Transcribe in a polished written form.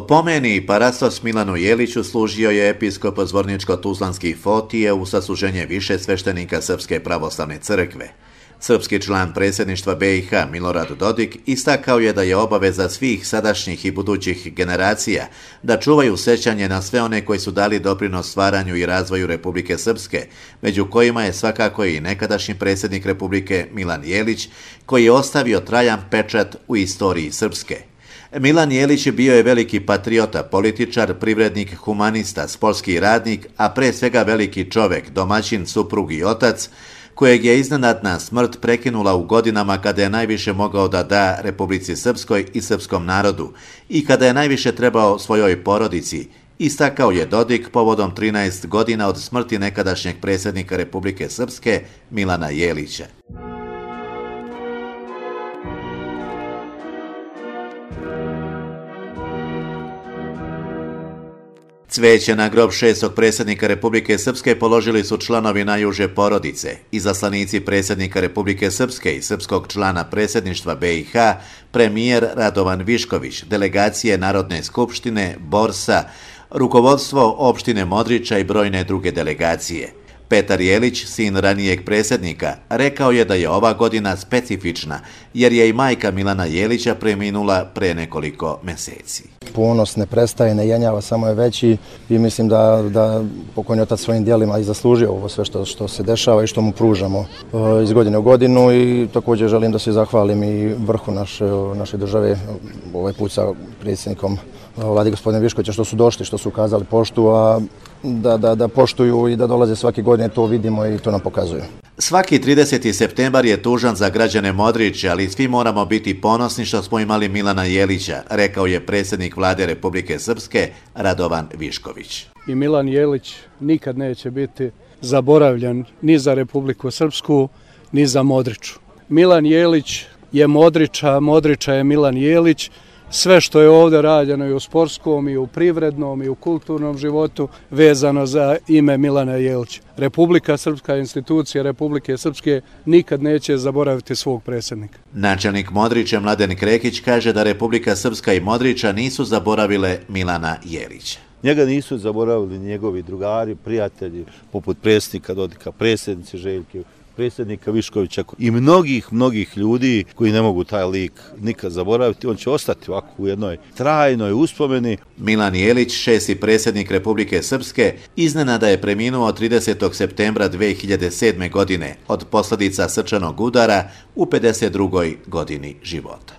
Opomeni i parastos Milanu Jeliću služio je episkop Zvorničko-tuzlanski Fotije u sasluženje više sveštenika Srpske pravoslavne crkve. Srpski član predsjedništva BiH Milorad Dodik istakao je da je obaveza svih sadašnjih i budućih generacija da čuvaju sećanje na sve one koji su dali doprinos stvaranju i razvoju Republike Srpske, među kojima je svakako i nekadašnji predsjednik Republike Milan Jelić, koji je ostavio trajan pečat u istoriji Srpske. Milan Jelić bio je veliki patriota, političar, privrednik, humanista, sportski radnik, a pre svega veliki čovek, domaćin, suprug i otac, kojeg je iznenadna smrt prekinula u godinama kada je najviše mogao da da Republici Srpskoj i srpskom narodu i kada je najviše trebao svojoj porodici, istakao je Dodik povodom 13 godina od smrti nekadašnjeg predsjednika Republike Srpske Milana Jelića. Cveće na grob šestog predsjednika Republike Srpske položili su članovi najuže porodice, izaslanici predsjednika Republike Srpske i srpskog člana predsjedništva BiH, premijer Radovan Višković, delegacije Narodne skupštine, Borsa, rukovodstvo opštine Modriča i brojne druge delegacije. Petar Jelić, sin ranijeg predsjednika, rekao je da je ova godina specifična, jer je i majka Milana Jelića preminula pre nekoliko meseci. Ponos ne prestaje, ne jenjava, samo je veći i mislim da pokojni otac svojim djelima i zaslužio ovo sve što se dešava i što mu pružamo iz godine u godinu i također želim da se zahvalim i vrhu naše države, ovaj put sa predsjednikom Vlade gospodine Viškovića, što su došli, što su ukazali poštu, a da poštuju i da dolaze svake godine, to vidimo i to nam pokazuju. Svaki 30. septembar je tužan za građane Modrića, ali svi moramo biti ponosni što smo imali Milana Jelića, rekao je predsjednik Vlade Republike Srpske Radovan Višković. I Milan Jelić nikad neće biti zaboravljen ni za Republiku Srpsku, ni za Modriču. Milan Jelić je Modriča, Modriča je Milan Jelić. Sve što je ovdje rađeno i u sportskom, i u privrednom, i u kulturnom životu vezano za ime Milana Jelića. Republika Srpska, institucija Republike Srpske nikad neće zaboraviti svog predsjednika. Načelnik Modrića Mladen Krekić kaže da Republika Srpska i Modriča nisu zaboravile Milana Jelića. Njega nisu zaboravili njegovi drugari, prijatelji, poput predsjednika Dodika, predsjednice Željke, predsjednika Viškovića i mnogih ljudi koji ne mogu taj lik nikad zaboraviti. On će ostati ovako u jednoj trajnoj uspomeni. Milan Jelić, šesti predsjednik Republike Srpske, iznenada je preminuo 30. septembra 2007. godine od posljedica srčanog udara u 52. godini života.